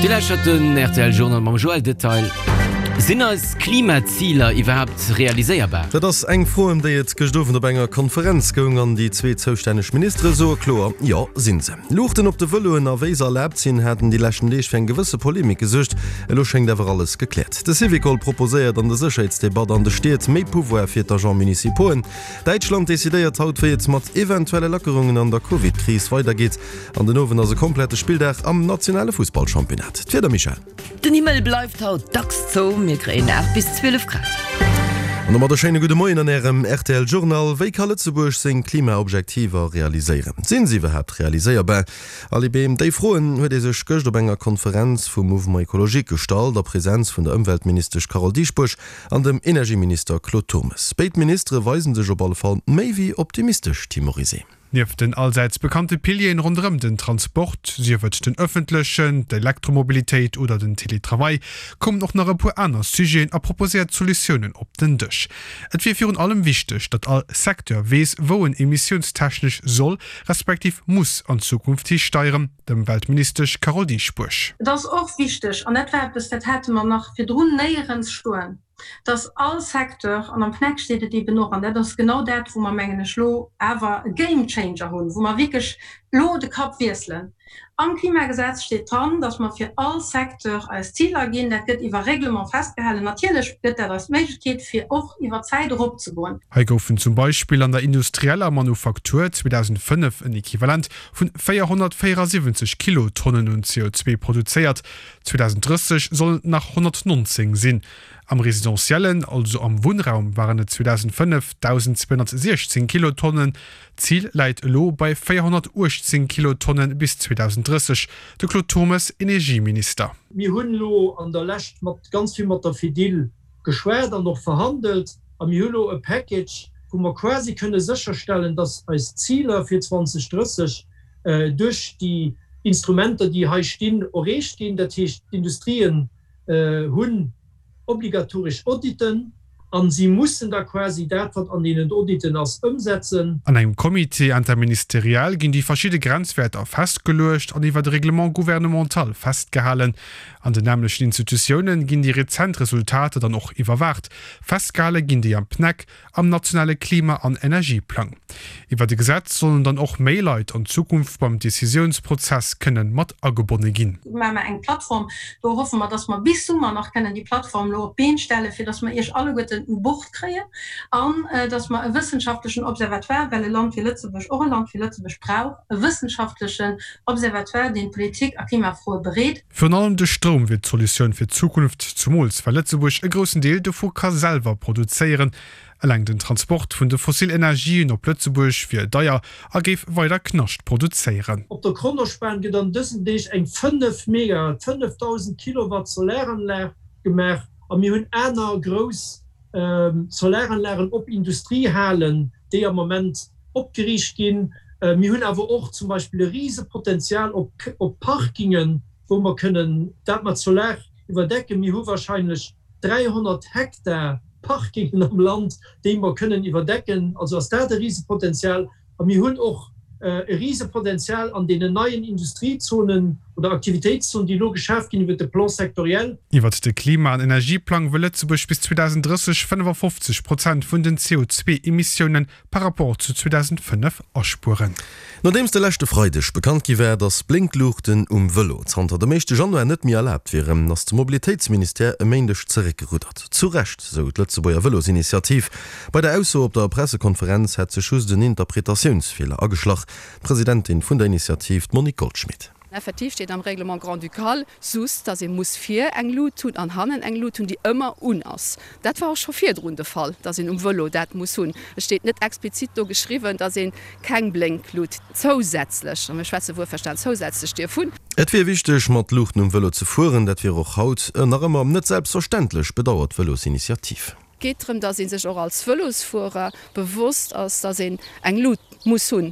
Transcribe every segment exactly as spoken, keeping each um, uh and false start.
Dir lauschtert den rtl Journal mam Joël Detail. Sinn eis Klimaziler iwwerhaapt realiséierbar? Dat ass eng Fro, ëm déi et gëscht Owend op enger Konferenz goung an déi zwee zoustänneg Ministere soe kloer, Jo, sinn se. Luuchten op de Vëloen a wéi se erlaabt sinn, haten déi leschten Deeg fir eng gewësse Polemik gesuergt. Elo schéngt awer alles gekläert. De Syvicol proposéiert an der Sécherheetsdebatt an de Stied méi Pouvoir fir d'Agents municipauxen. Däitschland decidéiert haut, wéi et mat eventuelle Lackerungen an der Covid-Kris weidergeet. An den Owend ass e komplette Spilldag am nationale Fussballchampionnat. D'Wieder, Michèle? Den Himmel bleift haut dacks zou, mir kréien aacht bis zwielef Grad. An domat e schéine gudde Moien an Ärem rtl Journal. Wéi ka Lëtzebuerg seng Klimaobjektiver realiséieren? Sinn se iwwerhaapt realiséierbar? Aly Behm, déi Froen huet ee sech gëscht op enger Konferenz vum Mouvement Ecologique gestallt, a Presenz vun der Ëmweltministesch Carole Dieschbourg an dem Energieminister Claude Turmes. Béid Ministere weisen sech op alle Fall méi wéi optimistesch, Tim Morizet. Nieft den allsäits bekannte Pilieren ronderëm den Transport, sief et den ëffentlechen, d'Elektromobilitéit oder den Teletravail, koumen och nach e puer aner Sujeten a proposéiert Solutiounen op den Dësch. Et wier virun allem wichteg, datt all Secteur weess, wou en emissiounstechnesch soll, respektiv muss an Zukunft histeieren, d'Ëmweltministesch Carole Dieschbourg. Et ass och wichteg, an dat war eppes, dat hate mer nach virdrun néierens stoen, dass all Secteur, an am PNEC steet et eeben och, an dat ass genau dat, wou mer, mengen ech, elo awer e Game Changer hunn, wou mer wierklech elo de Kapp wiesselen, Am Klimagesetz steet dran, dass mer fir all Secteur eis Ziler ginn. Dat gëtt iwwer Règlement festgehalen. Natierlech gëtt dat eis d'Méiglechkeet, fir och iwwer d'Zäit eropzegoen. Hei goufen zum Beispill an der industrieller Manufaktur zweedausendfënnef en Equivalent vun véierhonnertvéierasiwwenzeg Kilotonnen un C O zwee produzéiert, zweedausendrësseg sollen et nach honnertnonzéng sinn. Am Residentiellen, also am Wunnraum, waren et zweedausendfënnef dausendzweehonnertsiechzéng Kilotonnen. D'Zil läit elo bei véierhonnertuechtzéng Kilotonne bis zweedausendrësseg. De Claude Turmes, Energieminister. Mir hunn elo an der Lescht mat ganz vill mat der Fedil geschwat an och verhandelt a mir hu elo e Package, wou mer quasi kënne sécherstellen, dass eis Ziler fir zweedausendrësseg duerch déi Instrumenter, déi hei stinn, erreecht ginn. Dat heescht, d'Industrien hunn obligatoresch Auditen a si mussen da quasi dat, wat an deenen Auditen ass, ëmsetzen. An engem Comité interministériel ginn déi verschidde Grenzwäerter festgeluecht an iwwert e Règlement gouvernemental festgehalen. An den nämlechten Institutiounen ginn déi rezent Resultater dann och iwwerwaacht. Festgehale ginn déi am PNEC, am nationale Klima an Energieplang. Iwwert e Gesetz sollen dann och méi Leit an Zukunft beim Decisiounsprozess kënnen mat agebonne ginn. Do maache mer eng Plattform. Do hoffe mer, dass mer bis Summer nach kënnen déi Plattform elo op d'Been stellen, fir dass mer Iech alleguerten u Bord kréien an dass mer e wëssenschaftlechen Observatoire, well e Land wéi Lëtzebuerg och e Land wéi Lëtzebuerg brauch e wëssenschaftlechen Observatoire, deen d'Politik a Klimafroe bereet. Virun allem de Stroum wier d'Solutioun fir d'Zukunft, zumools well Lëtzebuerg e groussen Deel dovu ka selwer produzéieren. Eleng den Transport vun de fossil Energien op Lëtzebuerg wier deier a géif weider Knascht produzéieren. Op der Kronospan gëtt an dësen Deeg eng fënnef Megawatt, fënnefdausend Kilowatt Solaranlag gemaach a mir hunn aner grouss Solaranlagen op Industriehalen, déi am Moment opgeriicht ginn. Mir hunn awer och zum Beispill e Risepotenzial op Parkingen, wou mer kënnen dat mat Solar iwwerdecken. Mir hu wahrscheinlech dräihonnert Hektar Parkingen am Land, déi mer kënnen iwwerdecken. Also ass dat e Risepotenzial. A mir hunn och e Risepotenzial an deenen neien Industriezonen oder Aktivitéitszonen, déi elo geschaf ginn iwwert de Plan sectoriel. Iwwert de Klima an Energieplang wëll Lëtzebuerg bis zweedausendrësseg fënnefafofzeg Prozent vun den C O zwee Emissiounen par rapport zu zweedausendfënnef aspueren. Nodeems de leschte Freideg bekannt gi war, datt Blénkluuchten um Vëlo zanter dem éischte Januar net méi erlaabt wieren, ass de Mobilitéitsministère e Méindeg zeréckgeruddert. Zu Recht, sou d'Lëtzebuerger Vëlosinitiativ. Bei der Ausso op der Pressekonferenz hätt sech just en Interpretatiounsfeeler ageschlach. D'Presidentin vun der Initiativ, d'Monique Goldschmit. Effektiv steet am Règlement grand-ducal sus, dass ee muss vir eng Lut hunn an hannen eng Lut hunn, déi ëmmer un ass. Dat war och scho virdrun de Fall, dass een um Vëlo dat muss hunn. Et steet net explizit do geschriwwen, dass ee keng Blénklut zousätzlech, a mir schwätze wuerverstan zousätzlech, dierf hunn. Et wier wichteg, mat Luuchten um Vëlo ze fueren. Dat wier och haut nach ëmmer net selbstverständlech, bedauert d'Vëlosinitiativ. Et geet drëm, dass ee sech och als Vëlosfuerer bewosst ass, dass een eng Lut muss hunn.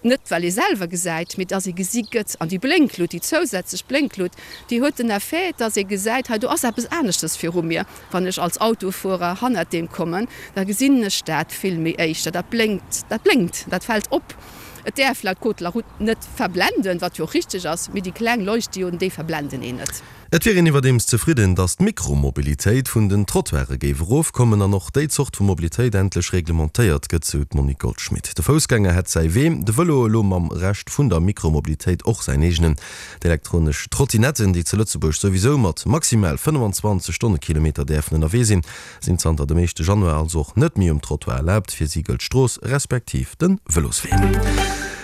Net well ee selwer gesäit, mee dass ee gesi gëtt. An déi Blénklut, déi zousätzlech Blénklut, déi huet den Effet, dass ee gesäit, hei do ass eppes aneschtes viru mir. Wann ech als Autofuerer hannert deem kommen, da gesinn ech dat vill méi éischter. Dat blénkt, dat blénkt, dat fält op. Et däerf laut Code de la route net verblenden, wat jo och richteg ass, mee déi kleng Leuchtdioden, déi verblenden een net. Et wier een iwwerdeems zefridden, datt d'Mikromobilitéit vun den Trottoire géif erofkommen an och déi Zort vu Mobilitéit endlech reglementéiert gëtt, sou d'Monique Goldschmit. De Foussgänger hätt säi Wee, de Vëlo elo mam Rescht vun der Mikromobilitéit och säin eegenen. D'elektronesch Trottinetten, déi zu Lëtzebuerg souwisou mat maximal fënnefenzwanzeg Stonnekilometer däerfen ënnerwee sinn, sinn zanter dem éischte Januar also och net méi um Trottoir erlaabt. Fir si gëllt d'Strooss respektiv de Vëloswee.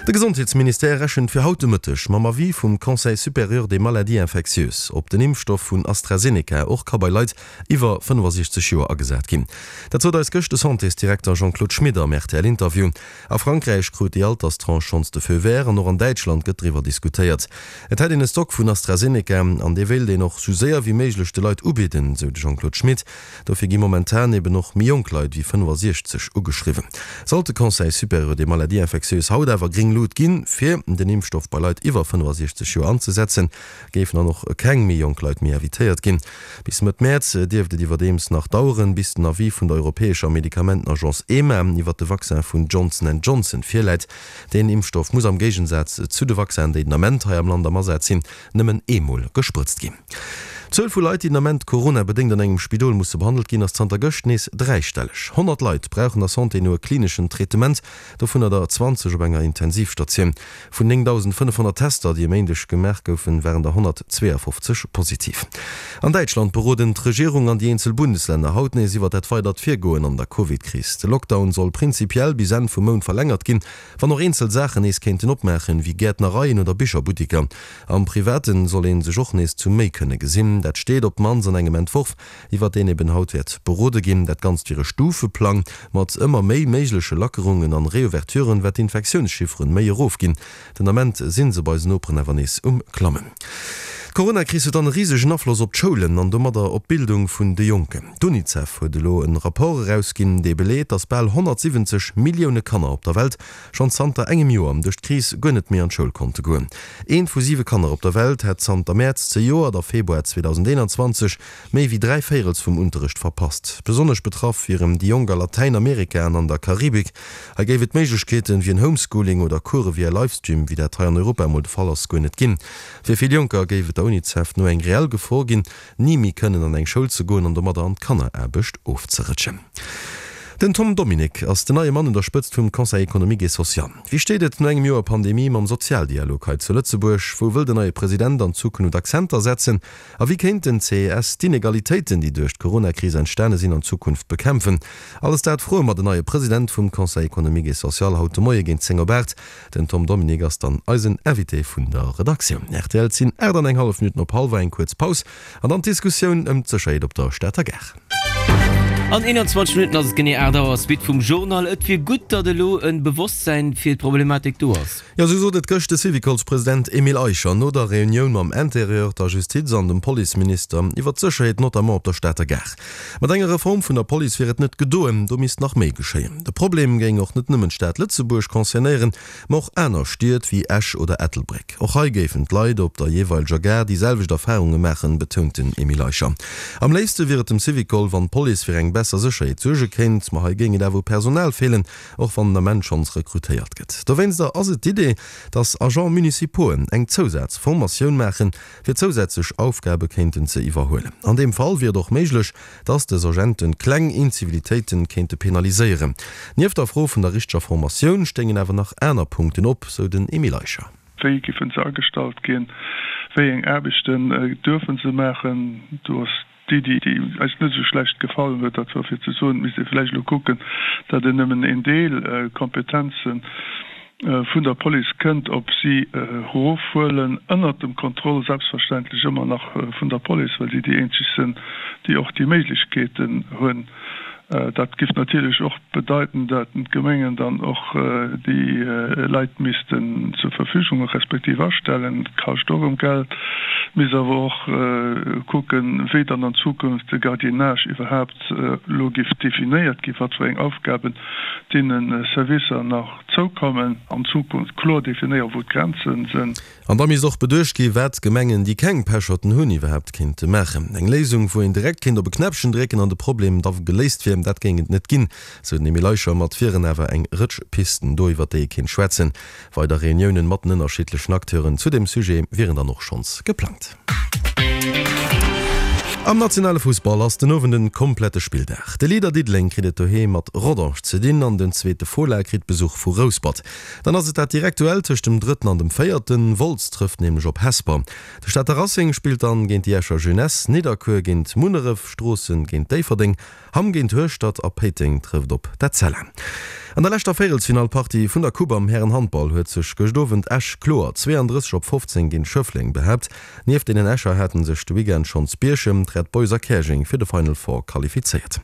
De Gesondheetsministère rechent fir haut de Mëtteg mam Avis vum Conseil supérieur des maladies infectieuses, ob den Impfstoff vun AstraZeneca och ka bei Leit iwwer fënnefasiechzeg Joer agesat ginn. Dat sot eis gëscht de Santésdirekter Jean-Claude Schmit am R T L-Interview. A Frankräich krut déi Alterstranche schonns de Feu vert an och an Däitschland gëtt driwwer diskutéiert. Et hätt een e Stock vun AstraZeneca an dee wéilt een och sou séier wéi méiglech de Leit ubidden, sou de Jean-Claude Schmit. Dofir gi momentan eben och méi jonk Leit wéi fënnefasiechzeg ugeschriwwen. Sollt de Conseil supérieur des maladies infectieuses haut awer gréng Lut ginn, fir den Impfstoff bei Leit iwwer fënnefasiechzeg Joer anzesetzen, géifen dann och keng méi jonk Leit méi invitéiert ginn. Bis Mëtt Mäerz dierft et iwwerdeems nach daueren, bis den Avis vun der europäescher Medikamentenagence EMA iwwer de Vaccin vun Johnson and Johnson virläit. Deen Impfstoff muss am Géigensaz zu de Vaccinen, déi den Ament hei am Land am Asaz sinn, nëmmen eemol gesprëtzt ginn. D'Zuel vu Leit, déi den Ament coronabedéngt an engem Spidol musse behandelt ginn, ass zanter gëscht nees dräistelleg. Honnert Leit brauchen der Santé no e klineschen Traitement, dovunner der zwanzeg op enger Intensivstatioun. Vun néngdausendfënnefhonnert Tester, déi e Méindeg gemaach goufen, waren der honnertzweeafofzeg positiv. An Däitschland beroden d'Regierung an déi eenzel Bundeslänner haut nees iwwer dat weidert Virgoen an der Covid-Kris. De Lockdown soll prinzipiell bis Enn vum Mount verlängert ginn, wann och eenzel Saachen nees kéinten opmaachen, wéi Gäertnereien oder Bicherbuttiker. Am Private soll ee sech och nees zu méi kënne gesinn. Dat steet op d'mannst an engem Entworf, iwwer deen eben haut wäert berode ginn. Dat Ganzt wier e Stufeplang mat ëmmer méi méigleche Lackerungen an Reouverturen, wat d'Infektiounschifferen méi erofginn. Den Ament si se bei eisen Noperen awer nees um Klammen. D'Coronakris huet dann e risegen Afloss op d'Schoulen an domadder op d'Bildung vun de Jonken. D'Unicef huet elo e Rapport erausginn, dee beleet, datt bal honnertsiwwenzeg Millioune Kanner op der Welt schonn zanter engem Joer duerch d'Kris guer net méi an d'Schoul konnte goen. Eent vu siwe Kanner op der Welt hätt zanter Mäerz zejoert a Februar zweedausendeenanzwanzeg méi wéi dräi Véirels vum Unterrecht verpasst. Besonnesch betraff wieren déi Jonk a Latäinamerika an an der Karibik. Hei géif et Méiglechkeeten wéi en Homeschooling oder Course via Livestream, wéi dat hei an Europa emol de Fall ass, guer net ginn. Fir vill Jonker géif et der Unicef no eng reell Gefor ginn, ni méi kënnen an eng Schoul ze goen an domadder an d'Kanneraarbecht ofzerëtschen. Den Tom Dominique ass den neie Mann un der Spëtzt vum Conseil économique et social. Wéi steet et no engem Joer Pandemie mam Sozialdialog hei zu Lëtzebuerg? Wou wëll den neie President an Zukunft Akzenter setzen? A wéi kéint den C E S d'Inegalitéiten, déi duerch d'Coronakris entstane sinn, an Zukunft bekämpfen? Alles dat froe mer den neie President vum Conseil économique et social haut de Moie géint zéng op aacht. Den Tom Dominique ass dann eisen Invité vun der Redaktioun. Rtl, Et sinn aacht an eng hallef Minutten op hallwer, eng kuerz Paus an dann d'Diskussioun ëm d'Sécherheet op der Stater Gare. An eenanzwanzeg Minutten ass et genee aacht Auer. Suite vum Journal. Et wier gutt, datt elo e Bewosstsäin fir d'Problematik do ass. Jo, sou sot et gëscht de Syvicolspresident Emile Eicher no der Reunioun mam Interieur, der Justiz an dem Policeminister iwwer d'Sécherheet, notamment op der Stater Gare. Mat enger Reform vun der Police wier et net gedoen, do misst nach méi geschéien. De Problem géing och net nëmmen d'Stad Lëtzebuerg concernéieren, ma och aner Stied wéi Esch oder Ettelbréck. Och hei géifen d'Leit op der jeeweileger Gare déi selwecht Erfarunge maachen, betount den Emile Eicher. Am léifste wier et dem Syvicol, wann d'Police fir eng besser Sécherheet suerge kéint, ma hei géing et awer u Personal feelen, och wann den Ament schonns rekrutéiert gëtt. Dowéinster ass et d'Idee, dass Agents municipauxen eng Zousazformatioun maachen, fir zousätzlech Aufgabe kéinten ze iwwerhuelen. An deem Fall wier et och méiglech, dass dës Agenten kleng Incivilitéite kéinte penaliséieren. Nieft der Fro vun der richteger Formatioun stéingen awer nach aner Punkten op, sou den Emile Eicher. Wéi giffen se agestallt ginn, wéi eng Aarbechten duerfe se maachen? Do ass d'Iddi, déi eis net esou schlecht gefall huet, dat war fir ze soen, et misst ee vläicht elo kucken, datt een nëmmen een Deel Kompetenze vun der Police kënnt op si erofhuelen, ënnert dem Contrôle selbstverständlech ëmmer nach vun der Police, well si déi eenzeg sinn, déi och déi Méiglechkeeten hunn. Dat giff natierlech och bedeiten, dat d'Gemengen dann och déi Leit missten zur Verfügung respektiv astellen. Dat kascht och erëm Geld. Misst awer och kucken, wéi dann an Zukunft de Gardiennage iwwerhaapt elo giff definéiert ginn, wat fir eng Aufgaben deene Servicer nach zoukommen an Zukunft, kloer definéieren, wou d'Grenzen sinn. An da misst och beduecht gi wat Gemengen, déi keng Pecherten hunn, iwwerhaapt kéinte maachen. Eng Léisung, wou een direkt kéint op e Knäppchen drécken an de Problem da geléist wier, Problem, dat géing et net ginn, sou den Emile Eicher. Ma et wieren awer eng Rëtsch Pisten do, iwwer déi ee kéint schwätzen. Weider Reuniounen mat den ënnerschiddlechen Acteuren zu deem Sujet wieren dann och schonns geplangt. Am nationale Fussball ass den Owend en komplette Spilldag. De Leader Diddeleng kritt et doheem mat Rodange ze dinn an den zweete Fola kritt Besuch vu Rouspert. Dann ass et dat direkt Duell tëscht dem Drëtten an dem Véierten. Wolz trëfft nämlech op Hesper. De Stater Racing spillt dann géint déi Escher Jeunesse, Nidderkuer géint Munneref, Stroossen géint Déifferdeng, Hamm géint Hueschtert a Péiteng trëfft op d'Etzella. An der leschter Véierelsfinallpartie vun der Coupe am Härenhandball huet sech gëscht Owend Esch kloer zwee an drësseg op fofzéng géint Schëffleng behaapt. Nieft deenen Escher haten sech de Weekend schonns Bierchem, d'Red Boys a Käerjeng fir de Final Four qualifizéiert.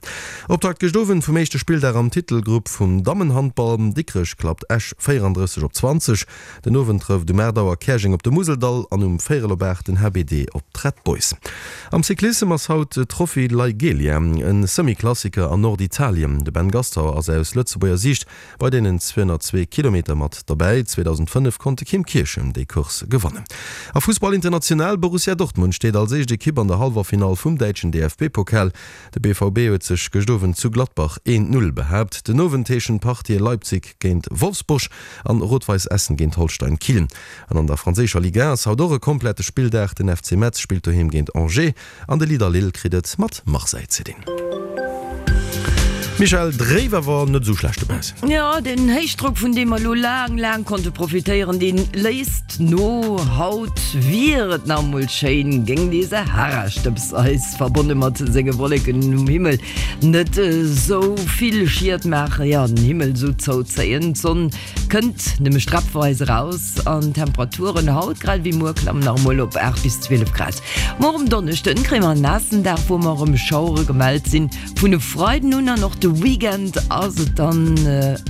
Optakt gëscht Owend vum éischte Spilldag am Titelgrupp vum Dammenhandball, Dikrech klappt Esch véierandrësseg op zwanzeg. Den Owend trëfft um aacht Auer Käerjeng op de Museldall an um véierel op aacht den H B D op d'Red Boys. Am Cyclissem ass haut d'Trophy Laigueglia, e Semi-Klassiker an Norditalien. De Ben Gastauer ass aus Lëtzebuerger Siicht bei deenen zweehonnertzwee Kilometer mat derbäi. zweedausendfënnef konnt de Kim Kirchen déi Course gewannen. A Fussball international, Borussia Dortmund steet als éischt Ekipp an der Hallwerfinall vum däitschen D F B-Pokal. De B V B huet sech gëscht Owend zu Gladbach een Null behaapt. Den Owend heeschen d'Partië Leipzig géint Wolfsburg an Rot-Weiss Essen géint Holstein Kiel. An an der franséischer Ligue un ass haut och e komplette Spilldag. Den F C Metz spillt doheem géint Angers an de Leader Lille kritt et mat Marseille ze dinn. Michèle, dréif awer net esou schlecht dobaussen. Jo, den Héichdrock vun deem mer elo laang, laang konnte profitéieren, dee léisst no. Haut wier et nach emol schéin, géing dee Sahara-Stëbs eis, verbonne mat senge Wolleken um Himmel, net esou vill Schied maachen, jo, den Himmel esou zouzéien. D'Sonn kënnt nëmme strappweis eraus an d'Temperaturen haut grad ewéi muer klammen nach emol op aacht bis zwielef Grad. Muer um Donneschden kréie mer en naassen Dag, wou mer erëm Schauere gemellt sinn. Vun e Freiden un an och de Weekend ass et dann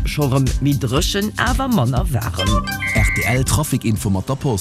scho rëm méi dréchen, awer manner waarem. R T L Trafic Info mat der Post.